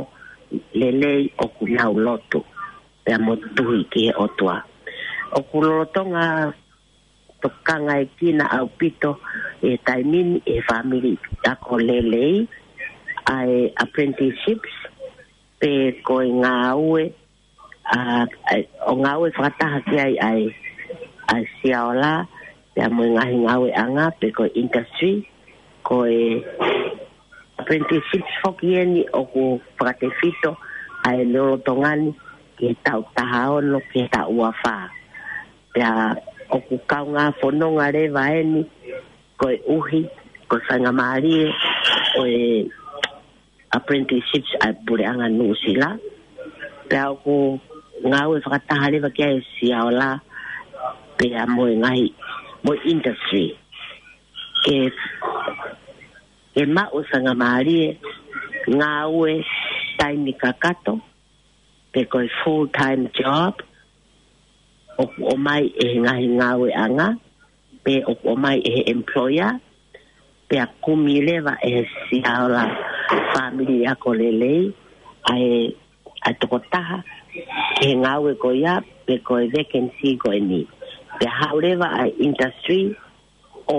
lelei ʻoku nau lotu pea mo tui ki he ʻOtua. ʻOku lolotonga tokangaʻi kina ʻaupito ʻi he taimi ni ʻe he fāmili ako lelei ʻa e apprenticeships, pe ko e ngāue, ʻa, ʻa, ʻo ngāue fakataha ki ai ʻa e, ʻa e Siaola, pea mo e ngaahi ngāueʻanga, pe ko e industry, ko e apprenticeships foki eni ʻoku fakatefito ʻa e lolotonga ni ki he taʻu taha ono ki he taʻu ua fā. Pea ʻoku kaungā fononga leva eni koeʻuhi ko e faingamālie ʻo e apprenticeships ʻa e Puleʻanga Nuʻusila. Pea ʻoku ngāue fakataha leva ki ai e Siaola pea mo e ngaahi, mo e industry ke, ke maʻu e faingamālie ngāue taimi kakato, pe ko e full time job, ʻoku ʻomai ʻe he ngaahi ngāueʻanga, pe ʻoku ʻomai ʻe he employer, pea kumi leva ʻe he Siaola Fāmili Ako Lelei ʻa e, ʻa e tokotaha ki he ngāue ko ia, pe ko e vacancy ko eni. Pea haʻu leva ʻa e industry ʻo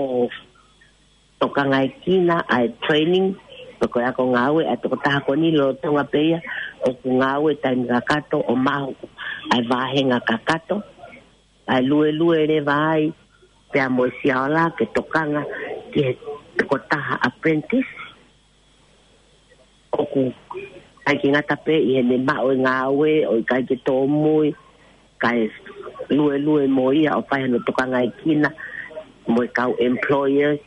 tokangaʻi kina ʻa e training, pe ko e ako ngāue ʻa e tokotaha ko eni lolotonga pē ia ʻoku ngāue taimi kakato ʻo maʻu ʻa e vāhenga kakato, ʻa e luelue leva ai pea mo e Siaola ke tokanga ki he tokotaha apprentice ʻoku ʻikai ke ngata pē ʻi heʻene maʻu e ngāue ʻo ʻikai ke tōmui, kae luelue mo ia ʻo fai hono tokangaʻi kina mo e kau employers,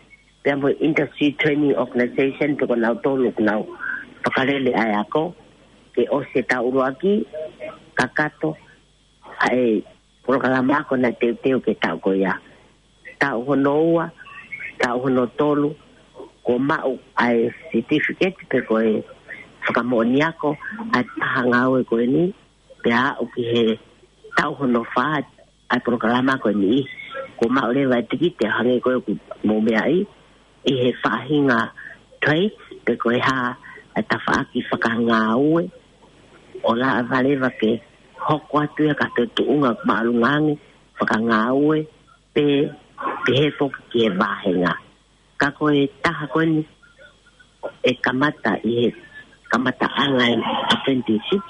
pea mo e industry training organization, pe ko nautolu ʻoku nau fakalele ʻa e ako, ke ʻosi e taʻu ʻuluaki kakato ʻa e polokalama ako naʻe teuteu ki he taʻu ko ia. Taʻu hono ua, taʻu hono tolu, kuo maʻu ʻa e certificate pe ko e fakamoʻoni ako ʻa e taha ngāue ko eni, pea aʻu ki he taʻu hono fā ʻa e polokalama ko eni, kuo maʻu leva e tikite ʻo hangē ko ē ʻoku mou meaʻi, ʻi he faʻahinga trade, pe ko e hā ʻa e tafaʻaki fakangāue, ʻo lava leva ke hoko atu ia ki ha toe tuʻunga māʻolunga ange fakangāue, pe, pe pehē foki ki he vāhenga. Ka ko e taha ko eni ʻe kamata ʻi he kamataʻanga e apprenticeship,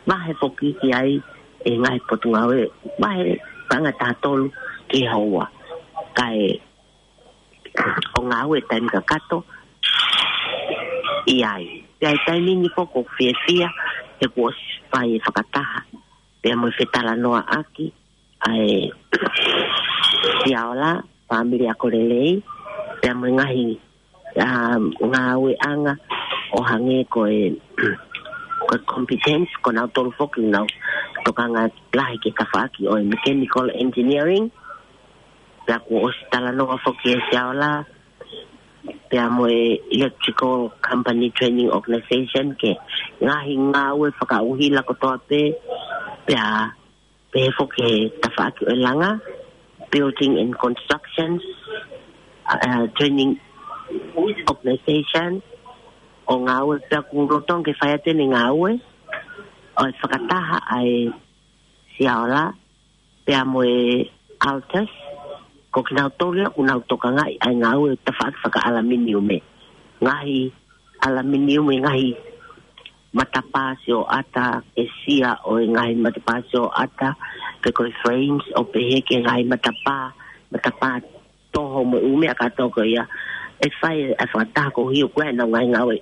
vahe foki ki ai ʻe he ngaahi potungāue, vahe paʻanga ʻe taha tolu ki he houa. Kae ʻo ngāue taimi kakato ʻi ai. Pea ʻi he taimi ni ko ē ʻoku ou fiefia he kuo ʻosi fai e fakataha pea mo e fetalanoaʻaki ʻa e Siaola Fāmili Ako Lelei, pea mo e ngaahi, ʻa, ngāueʻanga ʻo hangē ko e ko e competence, ko nautolu foki ʻoku nau tokanga lahi ki he tafaʻaki ʻo e mechanical engineering, pea kuo ʻosi talanoa foki ʻe Siaola, pea mo e Electrical Company Training Organization ki he ngaahi ngāue fakaʻuhila kotoa pē, pea pehē foki ki he tafaʻaki ʻo e langa, Building and Constructions, uh, Training Organization, ʻo ngāue pea ʻoku lolotonga ke fai atu ʻene ngāue, ʻo e fakataha ʻa e Siaola, pea mo e Altus, ko kinautolu ia ʻoku nau tokangaʻi ʻa e ngāue tafaʻaki fakaʻalaminiume. Ngaahi ʻalaminiume, ngaahi matapā sioʻata, ʻesia ʻo e ngaahi matapā sioʻata, pe ko e frames, ʻo pehē ki he ngaahi matapā, matapā toho mo e ʻū meʻa kātoa ko ia. ʻE fai ʻa e fakataha ko ia ʻoku ʻi ai ʻenau ngaahi ngāue,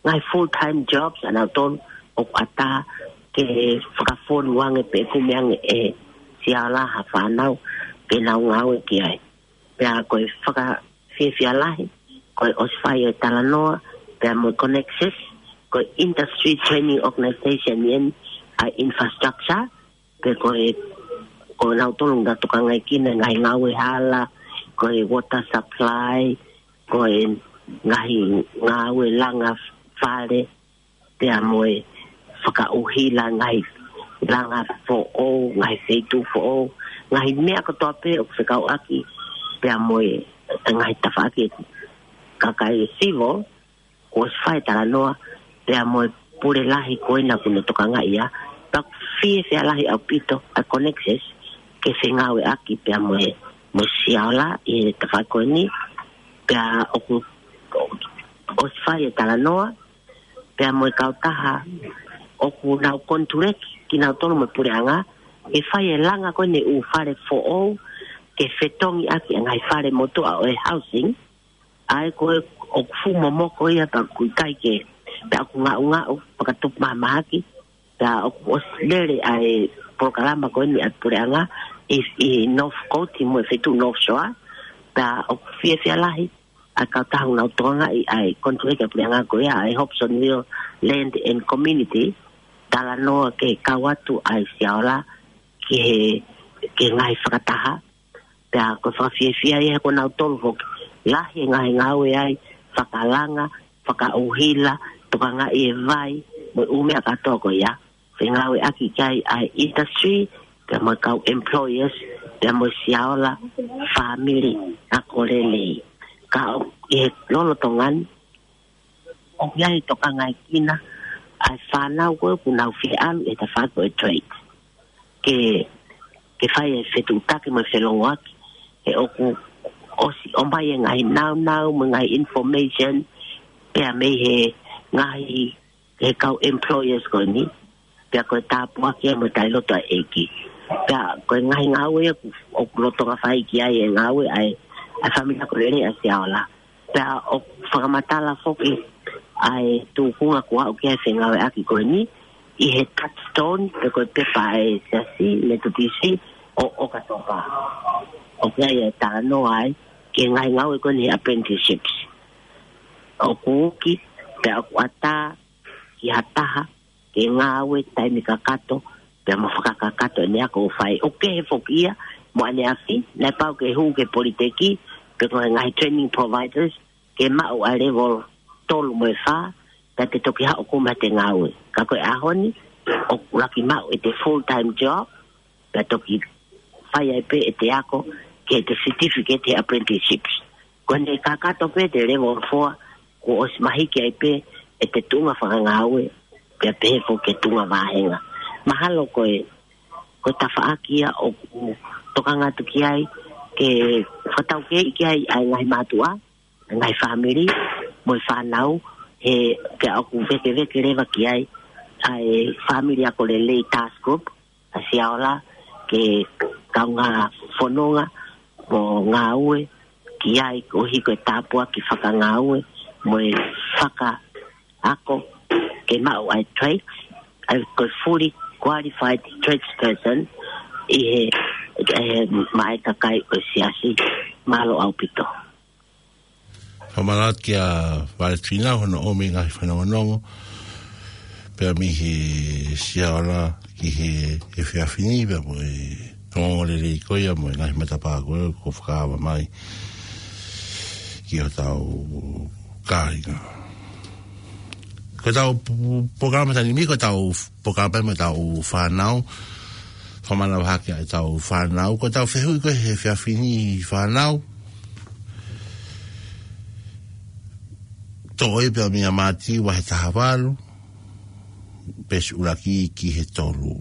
ngaahi full-time jobs ʻa nautolu, ʻoku ʻatā ke fakafonu ange pe kumi ange ʻe Siaola ha fānau ke nau ngāue ki ai. Pea ko e fakafiefia lahi, ko e ʻosi fai e talanoa, pea mo e Connexus, ko e Industry Training Organization ʻeni ʻa e infrastructure, pe ko e, ko nautolu ʻoku nau tokangaʻi ʻa e ngaahi ngāue hala, ko e water supply, ko e ngaahi ngāue langa fale, pea mo e fakaʻuhila ngaahi langa foʻou, ngaahi feituʻu foʻou, ngaahi meʻa kotoa pē ʻoku fekauʻaki, pea mo e ngaahi tafaʻaki kakai civil, kuo ʻosi fai talanoa, pea mo e pule lahi ko ena ʻoku ne tokangaʻi ia, pea ʻoku fiefia lahi ʻaupito ʻa e Connexus ke fengāueʻaki pea mo e, mo Siaola ʻi he tafaʻaki ko eni, pea ʻoku ʻosi fai e talanoa, pea mo e kautaha ʻoku nau konituleki kinautolu mo e puleʻanga, ʻe fai e langa ko eni ʻū fale foʻou, ke fetongi ʻaki ʻa e ngaahi fale motuʻa ʻo e housing, ʻa ia ko ē ʻoku fuʻu momoko ia pea ʻoku ʻikai ke, pea ʻoku ngaʻungaʻu, fakatupu mahamahaki, pea ʻoku ʻosi lele ʻa e polokalama ko eni ʻa e puleʻanga ʻi, ʻi Northcote mo e feituʻu North Shore, pea ʻoku fiefia lahi ʻa e kautaha ʻoku nau tokangaʻi ʻa e konituleki ʻa e puleʻanga ko ia ʻa e Hobsonville Land and Community, talanoa ke kau atu ʻa e Siaola ki he, ki he ngaahi fakataha, pea ko e fakafiefia ia he ko nautolu foki lahi e ngaahi ngāue ai, fakalanga, fakaʻuhila, tokangaʻi e vai, mo e ʻū meʻa kātoa ko ia, fengāueʻaki ki ai ʻa e industry, pea mo e kau employers, pea mo Siaola family ako lelei. Ka ʻoku ʻi he lolotonga ni, ʻoku ʻi ai e tokangaʻi kina ʻa e fānau ko ē ʻoku nau fie ʻalu ʻi he tafaʻaki ʻo e trade. Ke, ke fai e fetuʻutaki mo e felongoaki, he ʻoku ʻosi ʻomai e ngaahi naunau mo e ngaahi information, pea mei he ngaahi, he kau employers ko eni, pea ko e tāpuaki ia mo e taliloto ʻa e ʻEiki. Pea ko e ngaahi ngāue ia ʻoku, ʻoku lolotonga fai ki ai e ngāue ʻa e, ʻa e fāmili ako lelei ʻa Siaola. Pea ʻoku fakamatala foki ʻa e tūkunga kuo aʻu ki ai e fengāueʻaki ko eni, ʻi he Touchstone, pe ko e pepa ʻa e Siasi Metotisi ʻo ʻOkatopa. ʻOku ʻi ai e talanoa ai ki he ngaahi ngāue ko eni he apprenticeships. ʻOku uki, pea ʻoku ʻatā ki ha taha ke ngāue taimi kakato, pea mo fakakakato ʻene ako ʻoku fai. ʻOku kehe foki ia mo ʻaneafi, naʻe pau ke hū ki he politeki, pe ko e ngaahi training providers, ke maʻu ʻa e level tolu mo e fā, pea te toki haʻu ʻo kumi ʻete ngāue. Ka ko e ʻaho ni, ʻoku laki maʻu ʻete full-time job, pea toki fai ai pē ʻete ako ki heʻete certificate he apprenticeships. Ko ʻene kakato pē ʻete level four, kuo ʻosi mahiki ai pē ʻete tuʻunga fakangāue, pea pehē foki ki he tuʻunga vāhenga. Mahalo ko e, ko e tafaʻaki ia ʻoku tokanga atu ki ai, ke fakataukei ki ai ʻa e ngaahi mātuʻa, ngaahi fāmili, mo e fānau, he, pea ʻoku vēkeveke leva ki ai ʻa e Family Ako Lelei Task Group ʻa Siaola, ke kaungā fononga mo ngāue ki ai, koeʻuhi ko e tāpuaki fakangāue mo e fakaako ke maʻu ʻa e trades, ʻa e ko e fully qualified tradesperson ʻi he, he maʻa e kakai ʻo e Siasi. Mālō ʻaupito. Fakamālō atu kia Valetina hono ʻomi e ngaahi fanongonongo. Pea mei he Siaola ki he, he efiafi ni, pea mo e ongoongolelei ko ia mo e ngaahi matapā ko ē kuo fakaava mai ki hotau kāinga. Ko ʻetau pu-, polokalama taimi ni, ko ʻetau polokalama mo ʻetau fānau. Fakamanavahē ʻa ʻetau fānau. Ko ʻetau fehuʻi ko ē he efiafi ni, fānau. Toʻo ia pea mei a Mātiu vahe taha valu, veesi ʻuluaki ki he tolu.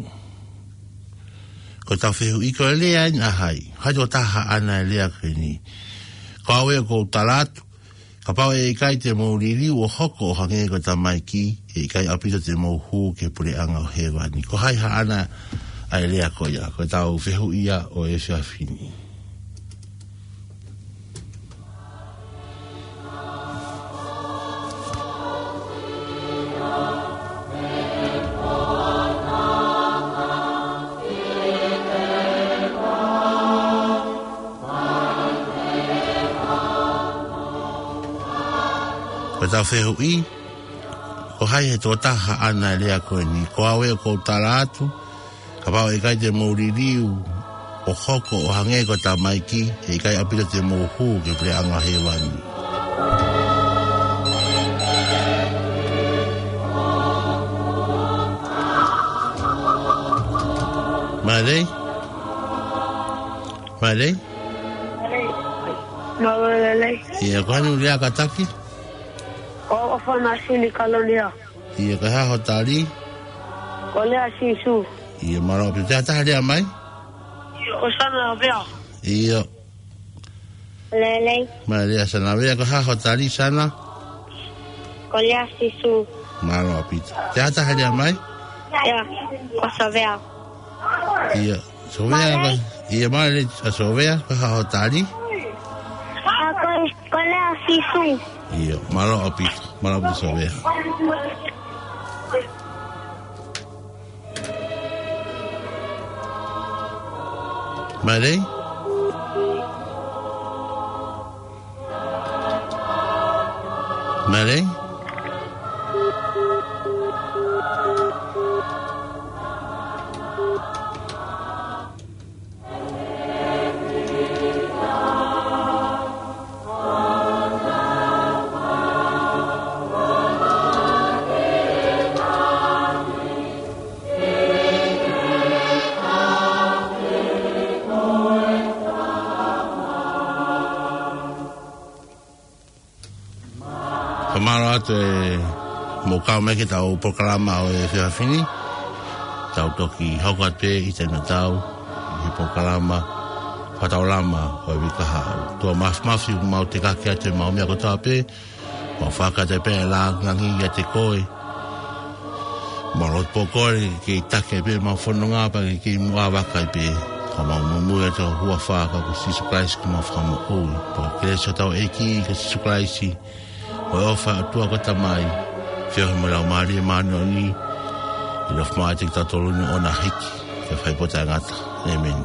Ko ʻetau fehuʻi, ko e lea eni ʻa hai? Hai tokotaha haʻana e lea ko eni? Ko au ē ʻoku ou tala atu, kapau ʻe ʻikai te mou liliu ʻo hoko ʻo hangē ko e tamaiki, ʻe ʻikai ʻaupito te mou hū ki he puleʻanga ʻo hēvani. Ko hai haʻana ʻa e lea ko ia? Ko ʻetau fehuʻi ia ʻo e efiafi ni. Ko ʻetau fehuʻi, ko hai he tokotaha haʻana e lea ko eni? Ko au ē ʻoku ou tala atu, kapau ʻe ʻikai te mou liliu ʻo hoko ʻo hangē ko e tamaiki, ʻe ʻikai ʻaupito te mou hū ki he puleʻanga ʻo hēvani. Mālō. Mālō. Mālō lelei. ʻIo, ko hai hono lea kātaki? Ko au ʻOfana Sini Kalonia. ʻIo, ko e hā hoʻo tali? Ko e lea ʻa Sīsū. ʻIo, mālō ʻaupito. Te ʻi ai ha taha lea mai? ʻIo, ko Sana Vea. ʻIo. Lelei. Mālō lelei Sana Vea, ko e hā hoʻo tali Sana? Ko e lea ʻa Sīsū. Mālō ʻaupito. Te ʻi ai ha taha lea mai? ʻIo, ko Sovea. ʻIo, Sovea, mālō lelei. Ko, ʻio, mālō lelei ʻa Sovea, ko e hā hoʻo tali? ʻA, ko, ko e lea ʻa Sīsū. ʻIo, mālō ʻaupito, mālō ʻaupito Sovea. Mālō lelei. Mālō lelei. Fakamālō atu ʻemau kau mai ki heʻetau polokalama ʻo e efiafi ni. Tau toki hoko atu pē ʻi he taimi tatau ʻi he polokalama fakataulama ʻo e uike kahaʻu. ʻOtua Māfimafi, ʻoku mau tekaki atu ʻemau meʻa kotoa pē, mau fakataha pē ʻa e lāngilangi ʻiate koe. Mau lotu pē ko e ke taki pē ʻemau fononga pea ke ke muʻa vaka pē. Ka mau muimui atu ʻi he huafa ʻo Sīsū Kalaisi ko homau Fakamoʻui. Pea ko e kelesi ʻa hotau ʻEiki ko Sīsū Kalaisi, mo e ʻofa ʻa e ʻOtua ko e Tamai, feohi mo e Laumālie Māʻoniʻoni, ʻe nofo maʻa kitautolu ni ʻo na hiki ki he fai pō taʻengata. ʻĒmeni.